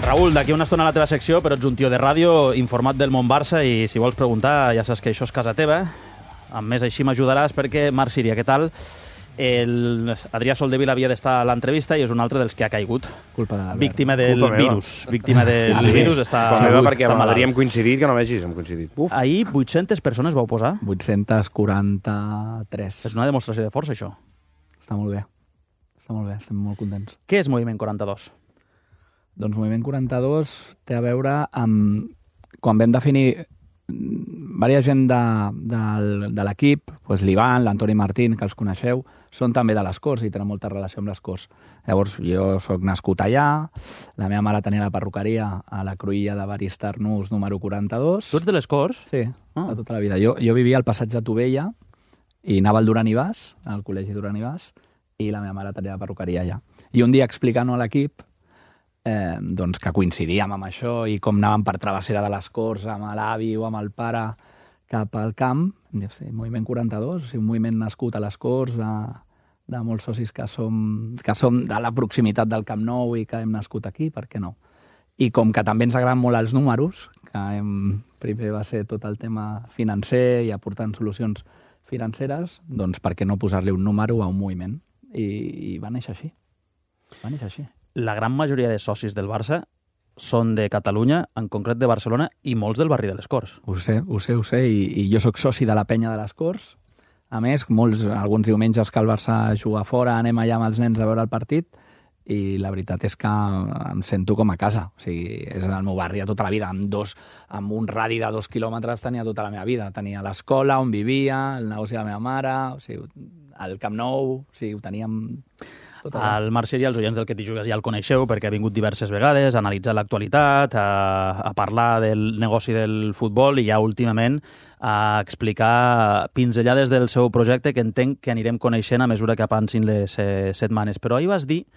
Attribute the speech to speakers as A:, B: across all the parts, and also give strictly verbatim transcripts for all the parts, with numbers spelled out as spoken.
A: Raül, d'aquí una estona a la teva secció, però ets un tio de ràdio informat del món Barça i si vols preguntar ja saps que això és casa teva. A més, així m'ajudaràs perquè, Marc Síria, què tal? El Adrià Soldevila havia d'estar a l'entrevista i és un altre dels que ha caigut.
B: Culpa de
A: Víctima del virus. Víctima del
B: Sí.
A: virus. Està,
C: Culpa meva perquè
A: està
C: amb
A: malalt.
C: l'Adrià hem coincidit, que no vegis, hem coincidit. Uf.
A: Ahir vuit-centes persones vau posar.
B: vuit-cents quaranta-tres.
A: És una demostració de força, això.
B: Està molt bé. Està molt bé, estem molt contents.
A: Què és Moviment quaranta-dos?
B: Doncs Moviment quaranta-dos té a veure amb... Quan vam definir diversa gent de, de, de l'equip, doncs l'Ivan, l'Antoni Martín, que els coneixeu, són també de les Corts i tenen molta relació amb les Corts. Llavors, jo sóc nascut allà, la meva mare tenia la perruqueria a la Cruïlla de Baristarnús número quaranta-dos.
A: Tu ets de les Corts?
B: Sí,
A: Ah.
B: de tota la vida. Jo, jo vivia al passatge Tovella i anava al Duran i Bas, al col·legi Duran i Bas, i la meva mare tenia la perruqueria allà. I un dia explicant-ho a l'equip, eh, doncs que coincidíem amb això i com anàvem per travessera de les Corts amb l'avi o amb el pare cap al camp, em diu, sí, Moviment quaranta-dos, o sigui, un moviment nascut a les Corts, de, de molts socis que som, que som de la proximitat del Camp Nou i que hem nascut aquí, per què no? I com que també ens agraden molt els números, que hem, primer va ser tot el tema financer i aportant solucions financeres, doncs per què no posar-li un número a un moviment? I, i va néixer així. Va néixer així.
A: La gran majoria de socis del Barça són de Catalunya, en concret de Barcelona, i molts del barri de les Corts.
B: Ho sé, ho sé, ho sé, i, i jo sóc soci de la penya de les Corts. A més, molts, alguns diumenges que el Barça juga fora, anem allà amb els nens a veure el partit, i la veritat és que em sento com a casa. O sigui, és el meu barri de tota la vida. Amb, dos, amb un radi de dos quilòmetres tenia tota la meva vida. Tenia l'escola on vivia, el negoci de la meva mare, o sigui, el Camp Nou, o sigui, ho teníem... tot allà.
A: El Marc Síria, els oients del Que t'hi jugues ja el coneixeu perquè ha vingut diverses vegades a analitzar l'actualitat, a, a parlar del negoci del futbol i ja últimament a explicar pinzellades del seu projecte que entenc que anirem coneixent a mesura que avansin les eh, setmanes. Però ahir vas dir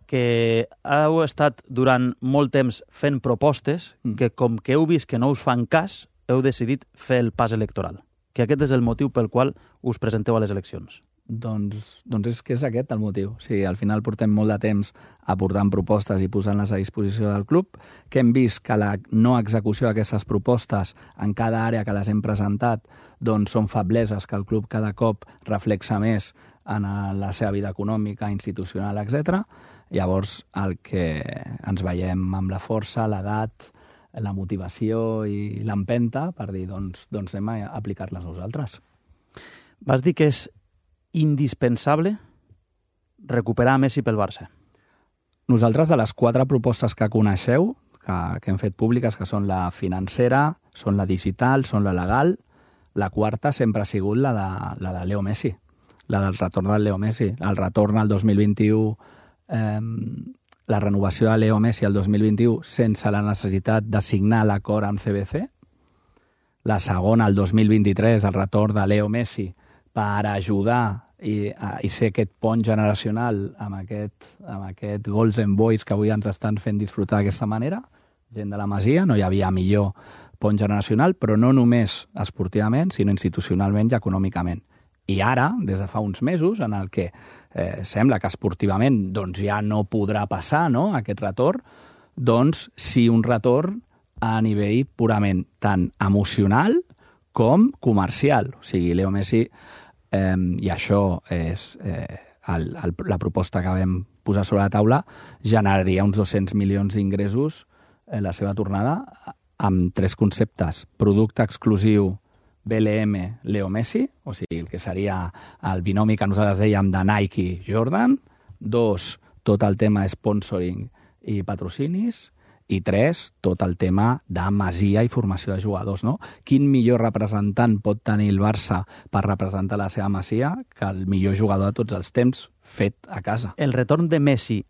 A: que heu estat durant molt temps fent propostes
B: Mm.
A: que com que heu vist que no us fan cas, heu decidit fer el pas electoral. Que aquest és el motiu pel qual us presenteu a les eleccions.
B: Doncs, doncs és que és aquest el motiu. O sigui, al final portem molt de temps aportant propostes i posant-les a disposició del club, que hem vist que la no execució d'aquestes propostes en cada àrea que les hem presentat doncs són febleses que el club cada cop reflexa més en la seva vida econòmica, institucional, etcètera. Llavors, el que ens veiem amb la força, l'edat, la motivació i l'empenta per dir, doncs, doncs anem a aplicar-les nosaltres.
A: Vas dir que és indispensable recuperar Messi pel Barça.
B: Nosaltres, de les quatre propostes que coneixeu, que, que hem fet públiques, que són la financera, són la digital, són la legal, la quarta sempre ha sigut la de, la de Leo Messi, la del retorn del Leo Messi. El retorn al dos mil vint-i-u, eh, la renovació de Leo Messi al dos mil vint-i-u sense la necessitat de signar l'acord amb C B C. La segona, el dos mil vint-i-tres, el retorn de Leo Messi per ajudar i, a, i ser aquest pont generacional amb aquest, amb aquest Golden Boys que avui ens estan fent disfrutar d'aquesta manera, gent de la Masia, no hi havia millor pont generacional, però no només esportivament, sinó institucionalment i econòmicament. I ara, des de fa uns mesos, en el que eh, sembla que esportivament doncs, ja no podrà passar, no?, aquest retorn, doncs sí un retorn a nivell purament tant emocional com comercial. O sigui, Leo Messi, eh, i això és eh, el, el, la proposta que vam posar sobre la taula, generaria uns dos-cents milions d'ingressos en la seva tornada amb tres conceptes. Producte exclusiu B L M Leo Messi, o sigui, el que seria el binomi que nosaltres dèiem de Nike Jordan. Dos, tot el tema sponsoring i patrocinis. I tres, tot el tema de masia i formació de jugadors, no? Quin millor representant pot tenir el Barça per representar la seva masia que el millor jugador de tots els temps fet a casa?
A: El retorn de Messi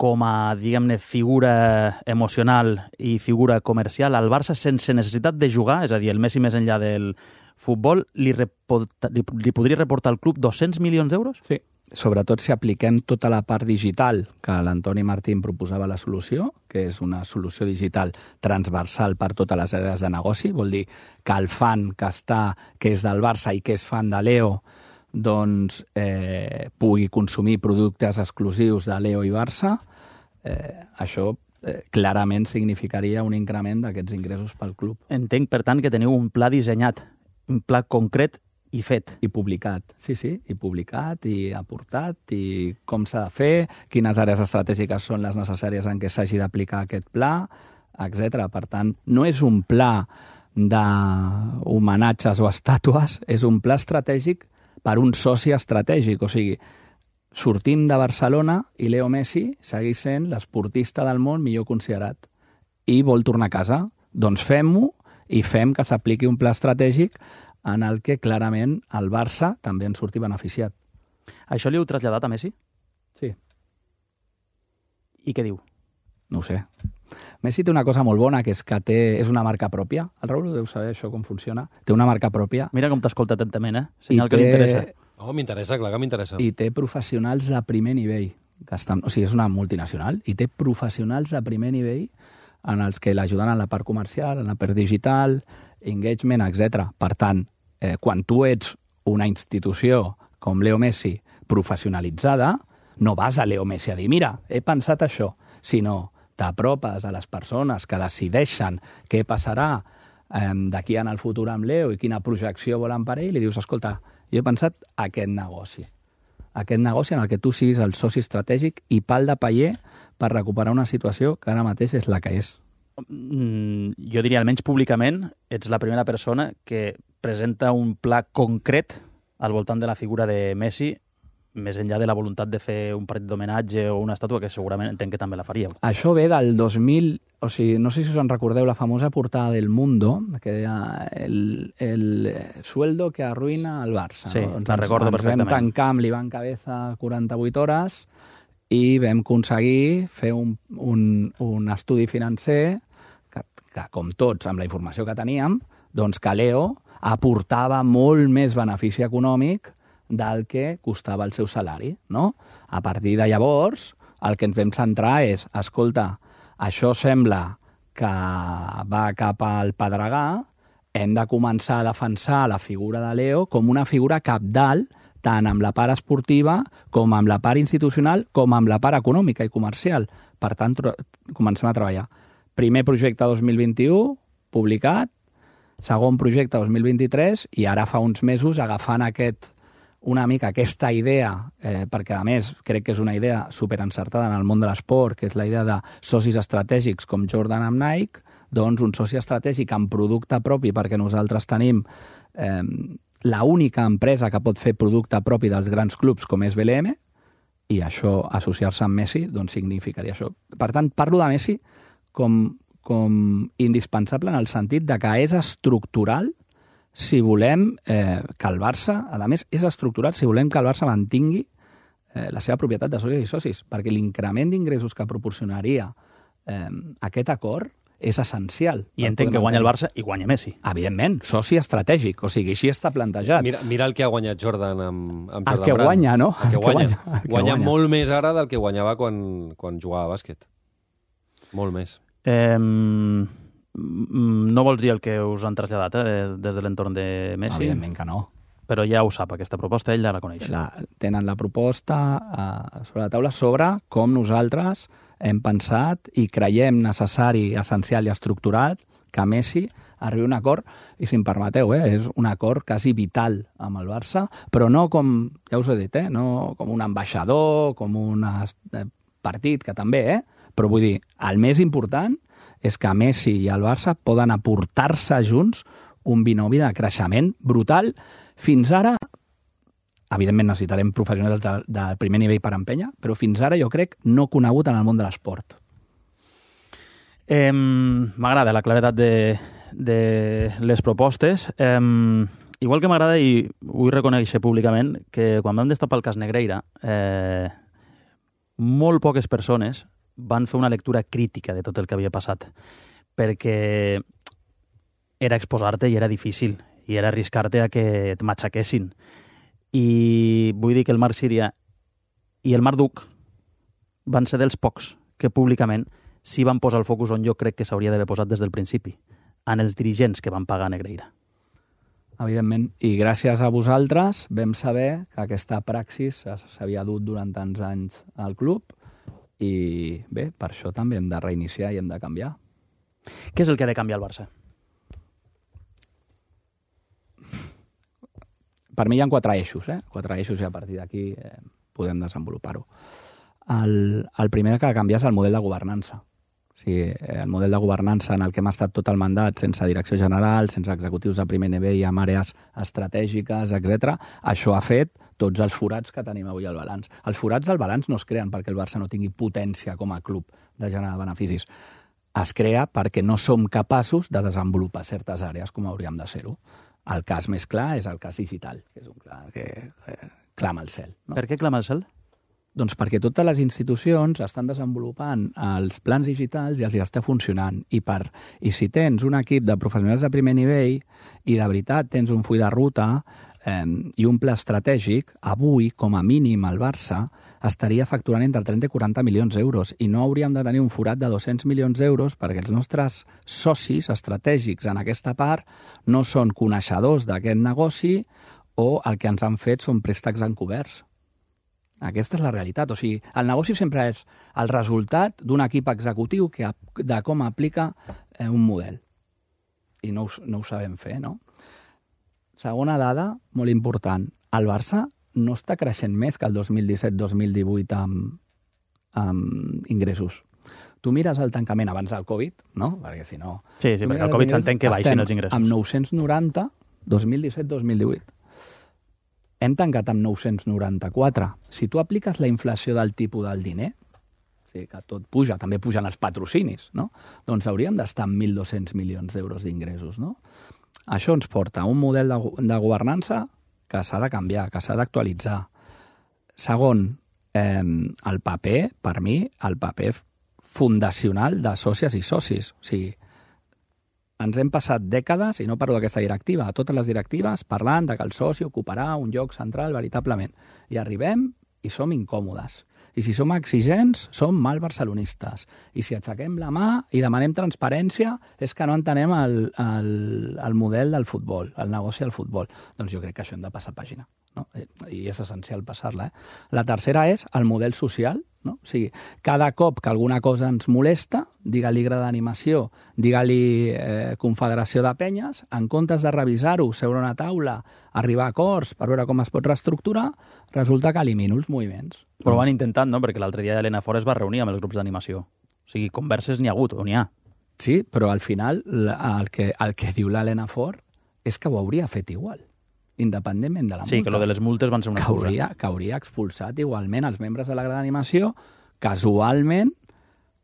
A: com a, diguem-ne, figura emocional i figura comercial al Barça sense necessitat de jugar, és a dir, el Messi més enllà del futbol, li, reporta, li, li podria reportar al club dos-cents milions d'euros?
B: Sí. Sobretot si apliquem tota la part digital que l'Antoni Martín proposava la solució, que és una solució digital transversal per totes les àrees de negoci, vol dir que el fan que està, que és del Barça i que és fan de Leo, doncs eh, pugui consumir productes exclusius de Leo i Barça. Eh, això eh, clarament significaria un increment d'aquests ingressos pel club.
A: Entenc, per tant, que teniu un pla dissenyat, un pla concret i fet.
B: I publicat, sí, sí, i publicat, i aportat, i com s'ha de fer, quines àrees estratègiques són les necessàries en què s'hagi d'aplicar aquest pla, etcètera. Per tant, no és un pla d'homenatges o estàtues, és un pla estratègic per un soci estratègic. O sigui, sortim de Barcelona i Leo Messi segueix sent l'esportista del món millor considerat i vol tornar a casa. Doncs fem-ho i fem que s'apliqui un pla estratègic en el que clarament el Barça també en surti beneficiat.
A: Això li heu traslladat a Messi?
B: Sí.
A: I què diu?
B: No ho sé. Messi té una cosa molt bona, que és que té, és una marca pròpia. El Raül deu saber això com funciona. Té una marca pròpia.
A: Mira com t'escolta atentament, eh? Senyal
B: I
A: que
B: té-
A: li interessa.
C: Oh, m'interessa, clar que m'interessa.
B: I té professionals de primer nivell. Que estan, o sigui, és una multinacional i té professionals de primer nivell en els que l'ajuden en la part comercial, en la part digital, engagement, etcètera. Per tant, eh, quan tu ets una institució com Leo Messi professionalitzada, no vas a Leo Messi a dir, mira, he pensat això, sinó t'apropes a les persones que decideixen què passarà eh, d'aquí en el futur amb Leo i quina projecció volen per ell, i li dius, escolta, jo he pensat aquest negoci. Aquest negoci en el que tu siguis el soci estratègic i pal de paller per recuperar una situació que ara mateix és la que és.
A: Mm, jo diria, almenys públicament, ets la primera persona que presenta un pla concret al voltant de la figura de Messi, més enllà de la voluntat de fer un partit d'homenatge o una estàtua, que segurament entenc que també la faríeu.
B: Això ve del dos mil... O sigui, no sé si us en recordeu la famosa portada del Mundo, que deia el, el sueldo que arruïna el Barça.
A: Sí,
B: no?
A: la recordo
B: ens
A: perfectament.
B: Vam tancar amb l'Ivan Cabeza quaranta-vuit hores i vam aconseguir fer un, un, un estudi financer que, que, com tots, amb la informació que teníem, doncs que Leo aportava molt més benefici econòmic del que costava el seu salari, no? A partir de llavors, el que ens vam centrar és, escolta, això sembla que va cap al Pedregà, hem de començar a defensar la figura de Leo com una figura cabdal, tant amb la part esportiva com amb la part institucional com amb la part econòmica i comercial. Per tant, comencem a treballar. Primer projecte dos mil vint-i-u, publicat, segon projecte dos mil vint-i-tres, i ara fa uns mesos agafant aquest una mica aquesta idea, eh, perquè a més crec que és una idea superencertada en el món de l'esport, que és la idea de socis estratègics com Jordan amb Nike, doncs un soci estratègic amb producte propi, perquè nosaltres tenim eh, la única empresa que pot fer producte propi dels grans clubs com és B L M, i això, associar-se amb Messi, doncs significaria això. Per tant, parlo de Messi com, com indispensable en el sentit de que és estructural si volem eh, que el Barça, a més, és estructurat si volem que el Barça mantingui eh, la seva propietat de socis i socis, perquè l'increment d'ingressos que proporcionaria eh, aquest acord és essencial.
A: I entenc que guanya el Barça i guanya Messi.
B: Evidentment, soci estratègic, o sigui, així està plantejat.
C: Mira, mira el que ha guanyat Jordan amb, amb Jordan
B: El que
C: Brand.
B: guanya, no?
C: El que
B: El que
C: guanya.
B: guanya, el que
C: Guanya
B: guanya.
C: molt més ara del que guanyava quan, quan jugava a bàsquet. Molt més.
A: Eh, no vols dir el que us han traslladat eh, des de l'entorn de Messi,
B: Evidentment que no.
A: però ja ho sap, aquesta proposta, ell ja la coneix.
B: La, tenen la proposta eh, sobre la taula sobre com nosaltres hem pensat i creiem necessari, essencial i estructurat que Messi arribi a un acord, i si em permeteu, eh, és un acord quasi vital amb el Barça, però no com, ja us he dit, eh, no com un ambaixador, com un eh, partit, que també, eh, però vull dir, el més important és que Messi i el Barça poden aportar-se junts un binomi de creixement brutal. Fins ara, evidentment necessitarem professionals de, de primer nivell per empènyer, però fins ara jo crec no conegut en el món de l'esport.
A: Eh, m'agrada la claredat de, de les propostes. Eh, igual que m'agrada, i vull reconèixer públicament, que quan vam destapar el cas Negreira, eh, molt poques persones van fer una lectura crítica de tot el que havia passat, perquè era exposar-te i era difícil, i era arriscar-te a que et matxaquessin. I vull dir que el Marc Síria i el Marc Duc van ser dels pocs que públicament sí van posar el focus on jo crec que s'hauria d'haver posat des del principi, en els dirigents que van pagar Negreira.
B: Evidentment, i gràcies a vosaltres vam saber que aquesta praxis s'havia dut durant tants anys al club, i bé, per això també hem de reiniciar i hem de canviar.
A: Què és el que ha de canviar el Barça?
B: Per mi hi ha quatre eixos, eh? Quatre eixos i a partir d'aquí eh, podem desenvolupar-ho. El, el primer que ha de canviar és el model de governança. O sigui, el model de governança en el que hem estat tot el mandat sense direcció general, sense executius de primer nivell i amb àrees estratègiques, etcètera. Això ha fet tots els forats que tenim avui al balanç. Els forats del balanç no es creen perquè el Barça no tingui potència com a club de generar beneficis. Es crea perquè no som capaços de desenvolupar certes àrees com hauríem de ser-ho. El cas més clar és el cas digital, que és un clar que eh, clama el cel. No?
A: Per què clama el cel?
B: Doncs perquè totes les institucions estan desenvolupant els plans digitals i els hi està funcionant. I, per, i si tens un equip de professionals de primer nivell i de veritat tens un full de ruta eh, i un pla estratègic, avui, com a mínim, el Barça estaria facturant entre trenta i quaranta milions d'euros i no hauríem de tenir un forat de dos-cents milions d'euros perquè els nostres socis estratègics en aquesta part no són coneixedors d'aquest negoci o el que ens han fet són préstecs encoberts. Aquesta és la realitat. O sigui, el negoci sempre és el resultat d'un equip executiu que, de com aplica eh, un model. I no ho, no ho sabem fer, no? Segona dada, molt important. El Barça no està creixent més que el dos mil disset dos mil divuit amb, amb ingressos. Tu mires el tancament abans del Covid, no? Perquè si no...
A: Sí, sí, perquè el Covid s'entén que baixin els ingressos.
B: Amb nou-cents noranta, dos mil disset dos mil divuit. Hem tancat amb nou-cents noranta-quatre. Si tu apliques la inflació del tipus del diner, o sigui, que tot puja, també pugen els patrocinis, no? Doncs hauríem d'estar amb mil dos-cents milions d'euros d'ingressos, no? Això ens porta a un model de, de governança que s'ha de canviar, que s'ha d'actualitzar. Segon, eh, el paper, per mi, el paper fundacional de sòcies i socis. O sigui, ens hem passat dècades, i no parlo d'aquesta directiva, a totes les directives, parlant de que el soci ocuparà un lloc central veritablement. I arribem i som incòmodes. I si som exigents, som mal barcelonistes. I si aixequem la mà i demanem transparència, és que no entenem el, el, el model del futbol, el negoci del futbol. Doncs jo crec que això hem de passar pàgina, no? I és essencial passar-la. Eh? La tercera és el model social, no? O sigui, cada cop que alguna cosa ens molesta, digue-li grada d'animació, digue-li eh, confederació de penyes, en comptes de revisar-ho, seure a una taula, arribar a acords per veure com es pot reestructurar, resulta que elimino els moviments.
A: Però ho van intentant, no? Perquè l'altre dia l'Enafor es va reunir amb els grups d'animació. O sigui, converses n'hi ha hagut, o n'hi ha.
B: Sí, però al final el que, el que diu l'Enafor és que ho hauria fet igual, independentment de la multa.
A: Sí, que lo de les multes van ser una
B: que
A: excusa.
B: Hauria, que hauria expulsat igualment els membres de la grada d'animació, casualment,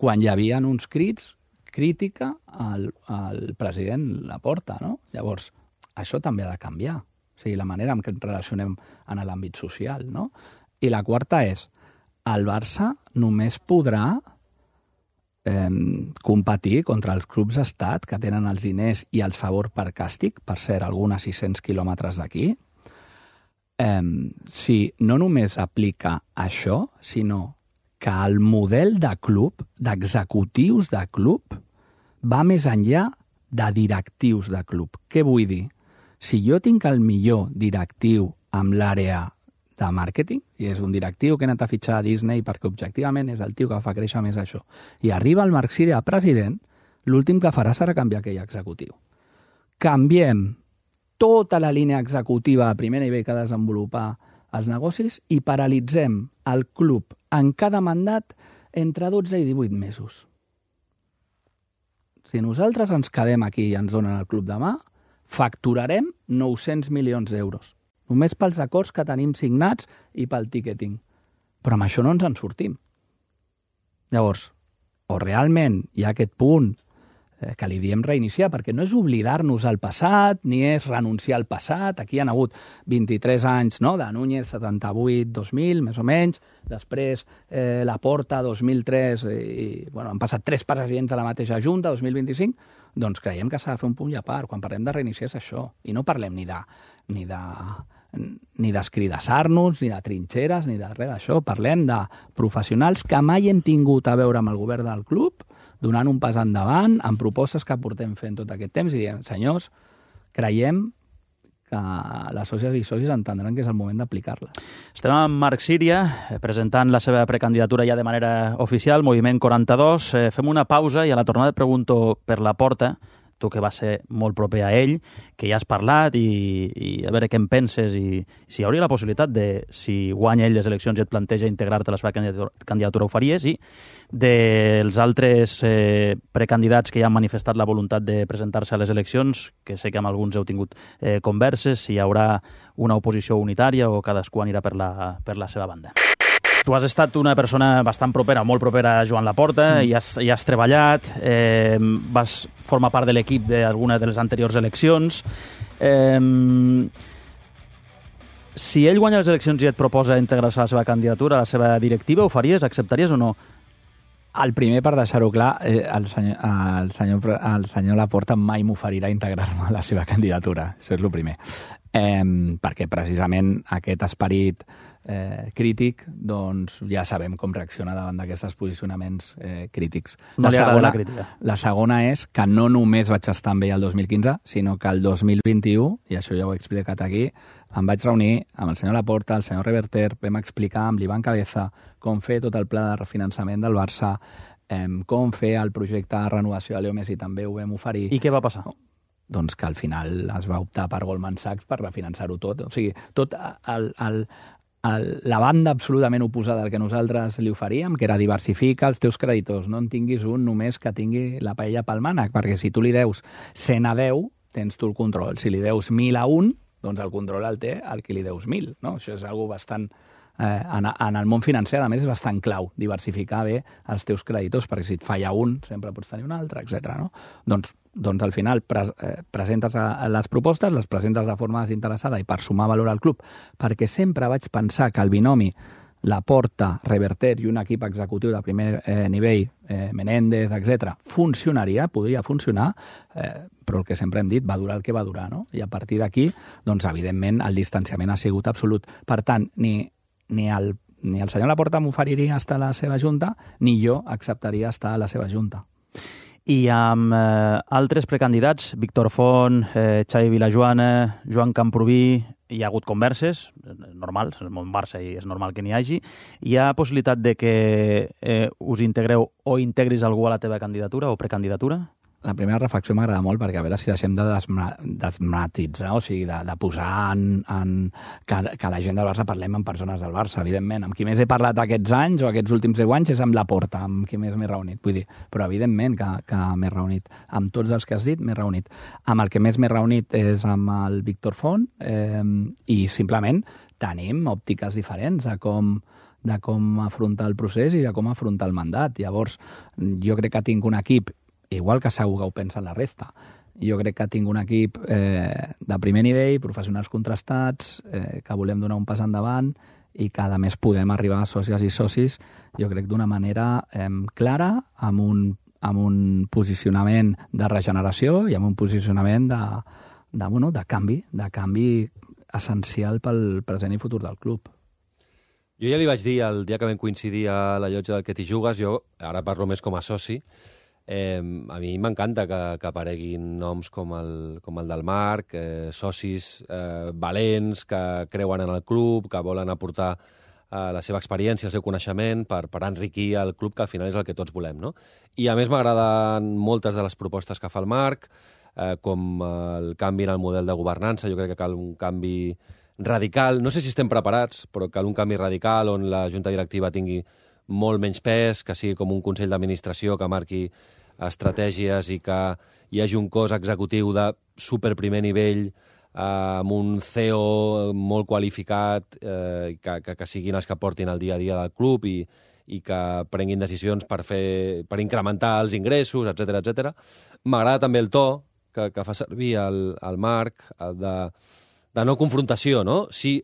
B: quan hi havia uns crits, crítica al, al president Laporta, no? Llavors, això també ha de canviar. O sigui, la manera en què ens relacionem en l'àmbit social, no? I la quarta és, el Barça només podrà eh, competir contra els clubs d'estat que tenen els diners i els favor per càstig, per cert, algunes sis-cents quilòmetres d'aquí, eh, si no només aplica això, sinó que el model de club, d'executius de club, va més enllà de directius de club. Què vull dir? Si jo tinc el millor directiu amb l'àrea de màrqueting, i és un directiu que ha anat a fitxar a Disney perquè objectivament és el tio que fa créixer més això, i arriba el Marc Siri a president, l'últim que farà serà canviar aquell executiu. Canviem tota la línia executiva a primer nivell que ha de desenvolupar els negocis i paralitzem el club en cada mandat entre dotze i divuit mesos. Si nosaltres ens quedem aquí i ens donen el club demà, facturarem nou-cents milions d'euros. Només pels acords que tenim signats i pel ticketing. Però amb això no ens en sortim. Llavors, o realment hi ha aquest punt eh, que li diem reiniciar, perquè no és oblidar-nos al passat, ni és renunciar al passat. Aquí hi ha hagut vint-i-tres anys, no?, de Núñez, setanta-vuit dos mil, més o menys, després eh, Laporta, dos mil tres, i bueno, han passat tres presidents de la mateixa Junta, dos mil vint-i-cinc, doncs creiem que s'ha de fer un punt i a part. Quan parlem de reiniciar és això, i no parlem ni de ni de ni d'escridassar-nos, ni de trinxeres, ni de res d'això. Parlem de professionals que mai hem tingut a veure amb el govern del club, donant un pas endavant, amb propostes que portem fent tot aquest temps i dient, senyors, creiem que les sòcies i socis entendran que és el moment d'aplicar-la.
A: Estem amb Marc Síria, presentant la seva precandidatura ja de manera oficial, Moviment quaranta-dos. Eh, fem una pausa i a la tornada et pregunto per la Porta, tu que vas ser molt proper a ell, que ja has parlat i, i a veure què en penses i si hi hauria la possibilitat de, si guanya ell les eleccions i et planteja integrar-te a la seva candidatura, candidatura ho faries, i dels altres eh, precandidats que ja han manifestat la voluntat de presentar-se a les eleccions, que sé que amb alguns heu tingut eh, converses, si hi haurà una oposició unitària o cadascú anirà per la, per la seva banda. Tu has estat una persona bastant propera, molt propera a Joan Laporta, mm. i, has, i has treballat, eh, vas formar part de l'equip d'alguna de les anteriors eleccions. Eh, si ell guanya les eleccions i et proposa integrar-se a la seva candidatura, a la seva directiva, ho faries? Acceptaries o no?
B: El primer, per deixar-ho clar, eh, el, senyor, el, senyor, el senyor Laporta mai m'oferirà integrar-me a la seva candidatura. Això és el primer. Eh, perquè precisament aquest esperit eh, crític, doncs ja sabem com reacciona davant d'aquests posicionaments eh, crítics.
A: No
B: la,
A: li
B: segona,
A: la crítica.
B: La segona és que no només vaig estar amb ell el dos mil quinze, sinó que el dos mil vint-i-u, i això ja ho he explicat aquí, em vaig reunir amb el senyor Laporta, el senyor Reverter, vam explicar amb l'Ivan Cabeza com fer tot el pla de refinançament del Barça, eh, com fer el projecte de renovació de Leo Messi, també ho vam oferir.
A: I què va passar?
B: Doncs que al final es va optar per Goldman Sachs per refinançar-ho tot. O sigui, tot el, el, el, la banda absolutament oposada al que nosaltres li oferíem, que era diversificar els teus creditors, no en tinguis un només que tingui la paella pel mànec, perquè si tu li deus cent a deu, tens tu el control. Si li deus mil a un, doncs el control el té el que li deus mil. No? Això és algo bastant... Eh, en, en el món financer, a més, és bastant clau diversificar bé els teus creditors, perquè si et falla un, sempre pots tenir un altre, etcètera. No? Doncs, doncs al final pres, eh, presentes a, a les propostes, les presentes de forma desinteressada i per sumar valor al club, perquè sempre vaig pensar que el binomi Laporta, Reverter i un equip executiu de primer eh, nivell, eh, Menéndez, etcètera, funcionaria, podria funcionar, eh, però el que sempre hem dit, va durar el que va durar, no? I a partir d'aquí, doncs, evidentment, el distanciament ha sigut absolut. Per tant, ni Ni el, ni el senyor Laporta m'oferiria estar a la seva junta, ni jo acceptaria estar a la seva junta.
A: I amb eh, altres precandidats, Víctor Font, eh, Xavi Vilajoana, Joan Camprubí, hi ha hagut converses, normal, és el món Barça i és normal que n'hi hagi. Hi ha possibilitat de que eh, us integreu o integris algú a la teva candidatura o precandidatura?
B: La primera reflexió m'agrada molt perquè a veure si deixem de desmatitzar, o sigui, de, de posar en, en que, que la gent del Barça parlem amb persones del Barça, evidentment. Amb qui més he parlat aquests anys o aquests últims deu anys és amb Laporta, amb qui més m'he reunit. Vull dir, però evidentment que, que m'he reunit. Amb tots els que has dit m'he reunit. Amb el que més m'he reunit és amb el Víctor Font eh, i simplement tenim òptiques diferents a com de com afrontar el procés i de com afrontar el mandat. Llavors, jo crec que tinc un equip igual que segur que ho pensa la resta. Jo crec que tinc un equip eh, de primer nivell, professionals contrastats, eh, que volem donar un pas endavant i que, a més, podem arribar a sòcies i socis, jo crec, d'una manera eh, clara, amb un, amb un posicionament de regeneració i amb un posicionament de, de, bueno, de canvi, de canvi essencial pel present i futur del club.
C: Jo ja li vaig dir el dia que vam coincidir a la llotja del Que t'hi jugues, jo ara parlo més com a soci. Eh, a mi m'encanta que, que apareguin noms com el, com el del Marc, eh, socis eh, valents, que creuen en el club, que volen aportar eh, la seva experiència, el seu coneixement per, per enriquir el club, que al final és el que tots volem, no? I a més m'agraden moltes de les propostes que fa el Marc, eh, com el canvi en el model de governança. Jo crec que cal un canvi radical. No sé si estem preparats, però cal un canvi radical on la junta directiva tingui molt menys pes, que sigui com un consell d'administració que marqui estratègies i que hi hagi un cos executiu de super primer nivell eh, amb un C E O molt qualificat, eh, que, que, que siguin els que portin el dia a dia del club i, i que prenguin decisions per, fer, per incrementar els ingressos, etcètera, etcètera. M'agrada també el to que, que fa servir el, el Marc, el de, de no confrontació, no? Sí,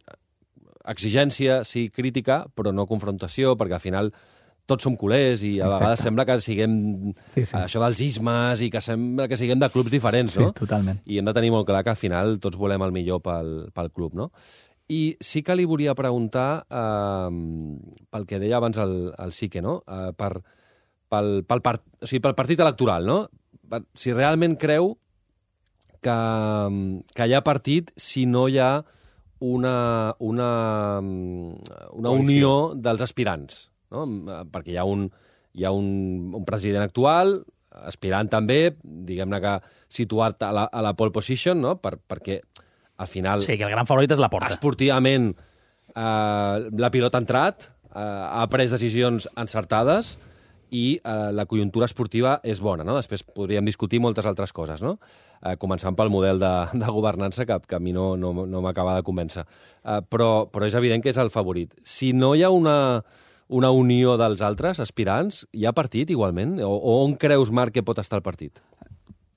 C: exigència, sí, crítica, però no confrontació, perquè al final tots som culers i a vegades Exacte. Sembla que siguem sí, sí. això dels ismes i que sembla que siguem de clubs diferents, no?
B: Sí, totalment.
C: I hem de tenir molt clar que al final tots volem el millor pel, pel club, no? I sí que li volia preguntar eh, pel que deia abans el, el Sique, no? Eh, per, pel, pel, part, o sigui, pel partit electoral, no? Per, si realment creu que, que hi ha partit si no hi ha una, una, una unió dels aspirants, no? Perquè hi ha un, hi ha un, un president actual, aspirant també, diguem-ne que situat a la, a la pole position, no? Per, perquè al final...
A: Sí, que el gran favorit és la Porta.
C: Esportivament, eh, la pilota ha entrat, eh, ha pres decisions encertades i eh, la conjuntura esportiva és bona, no? Després podríem discutir moltes altres coses, no? Eh, començant pel model de, de governança, que, que a mi no, no, no m'acaba de convèncer. Eh, però, però és evident que és el favorit. Si no hi ha una... una unió dels altres aspirants, hi ha partit igualment? O, o on creus, Marc, que pot estar el partit?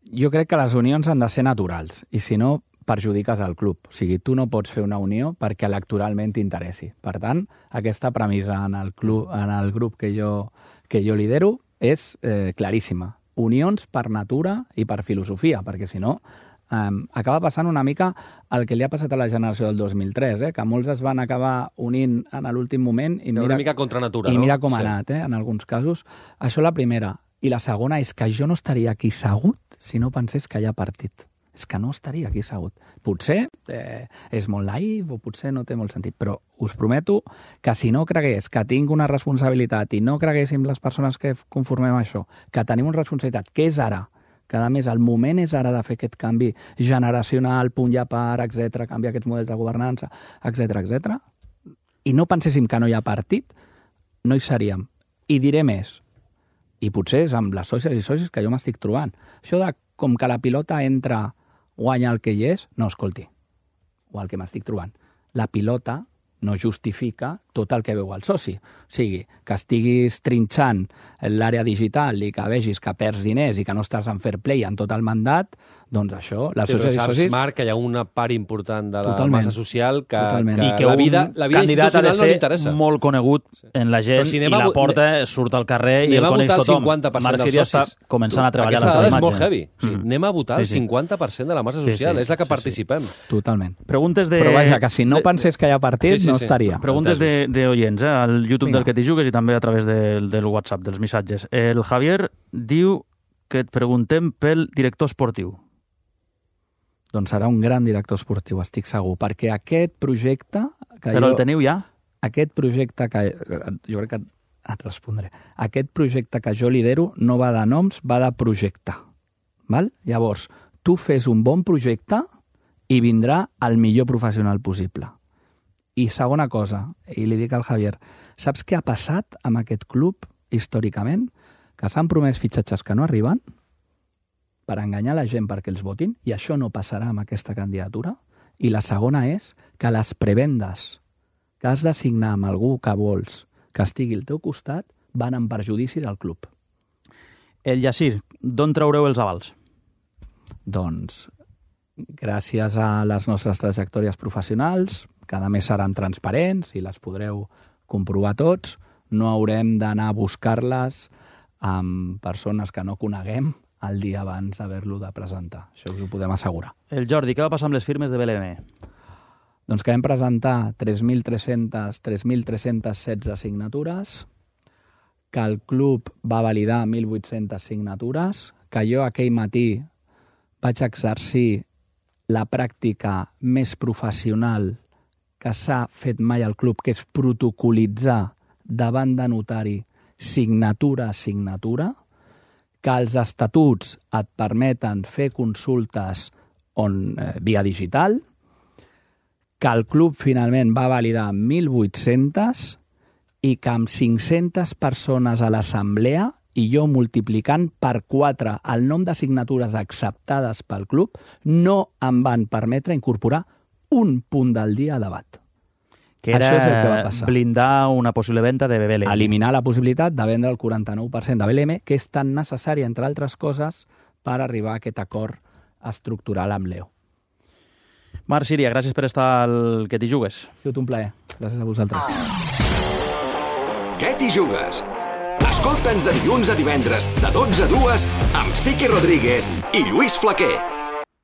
B: Jo crec que les unions han de ser naturals, i si no, perjudiques el club. O sigui, tu no pots fer una unió perquè electoralment t'interessi. Per tant, aquesta premissa en el, club, en el grup que jo, que jo lidero és eh, claríssima. Unions per natura i per filosofia, perquè si no, Um, acaba passant una mica el que li ha passat a la generació del dos mil tres, eh? Que molts es van acabar unint en l'últim moment i mira,
C: una mica contra natura,
B: i
C: no?
B: mira com ha
C: sí.
B: anat, eh? En alguns casos. Això la primera. I la segona és que jo no estaria aquí segut si no pensés que hi ha partit. És que no estaria aquí segut. Potser eh, és molt naïf o potser no té molt sentit, però us prometo que si no cregués que tinc una responsabilitat i no creguéssim les persones que conformem això, que tenim una responsabilitat, que és ara, que a més el moment és ara de fer aquest canvi generacional, punt i a part, etcètera, canviar aquests models de governança, etcètera, etcètera, i no penséssim que no hi ha partit, no hi seríem. I diré més, i potser és amb les sòcies i socis que jo m'estic trobant. Això de com que la pilota entra, guanya el que hi és, no, escolti, o el que m'estic trobant. La pilota no justifica tot el que veu el soci. O sigui, que estiguis trinxant l'àrea digital i que vegis que perds diners i que no estàs en fair play en tot el mandat, doncs això, les
C: sí,
B: socis i
C: saps,
B: socis...
C: Marc, que hi ha una part important de la
B: Totalment.
C: massa social que,
B: Totalment.
C: que,
A: I que
C: la vida,
A: un
C: la vida
A: candidat ha de
C: institucional no li
A: ser
C: interessa.
A: molt conegut en la gent
C: si
A: i la porta surt al carrer i el coneix tothom.
C: cinquanta per cent
A: Marc
C: dels
A: Síria està
C: socis.
A: començant a treballar
C: Aquesta
A: la seva
C: dada és
A: imatge.
C: molt heavy. O sigui,
A: Mm.
C: anem a votar
A: Sí,
C: el
A: sí.
C: cinquanta per cent de la massa
A: Sí,
C: social.
A: sí,
C: és la que
A: sí, sí.
C: participem.
B: Totalment.
A: Preguntes de...
B: Però vaja, que si no
A: de-
B: pensés que hi ha partit,
C: Sí, sí,
B: no
C: sí.
B: estaria.
A: Preguntes de, de oients, eh? al YouTube
B: Vinga.
A: del Que t'hi jugues i també a través del, del WhatsApp, dels missatges. El Javier diu que et preguntem pel director esportiu.
B: Doncs serà un gran director esportiu, estic segur, perquè aquest projecte... Que
A: Però
B: jo,
A: el teniu ja?
B: Aquest projecte que... Jo crec que et respondré. Aquest projecte que jo lidero no va de noms, va de projecte. Val? Llavors, tu fes un bon projecte i vindrà el millor professional possible. I segona cosa, i li dic al Javier, saps què ha passat amb aquest club històricament? Que s'han promès fitxatges que no arriben per enganyar la gent perquè els votin, i això no passarà amb aquesta candidatura. I la segona és que les prebendes que has de signar amb algú que vols que estigui al teu costat van en perjudici del club.
A: El Yassir, d'on traureu els avals?
B: Doncs, gràcies a les nostres trajectòries professionals, cada mes seran transparents i les podreu comprovar tots, no haurem d'anar a buscar-les amb persones que no coneguem el dia abans d'haver-lo de presentar. Això us ho podem assegurar.
A: El Jordi, què va passar amb les firmes de B L M?
B: Doncs que vam presentar tres mil tres-centes tres mil tres-centes setze signatures, que el club va validar mil vuit-centes signatures, que jo aquell matí vaig exercir la pràctica més professional que s'ha fet mai al club, que és protocolitzar davant de notari signatura a signatura, que els estatuts et permeten fer consultes on, eh, via digital, que el club finalment va validar mil vuit-centes i que amb cinc-centes persones a l'assemblea i jo multiplicant per quatre el nom de signatures acceptades pel club, no em van permetre incorporar un punt del dia a debat.
A: Que era
B: Això és el que va passar.
A: blindar una possible venda de B L M.
B: Eliminar la possibilitat de vendre el quaranta-nou per cent de B L M, que és tan necessari, entre altres coses, per arribar a aquest acord estructural amb Leo.
A: Marc Síria, gràcies per estar al Que t'hi jugues.
B: Ha sigut un plaer. Gràcies a vosaltres.
D: Què t'hi jugues? Escolta'ns de dilluns a divendres, de dotze a dues, amb Siqui Rodríguez i Lluís Flaquer.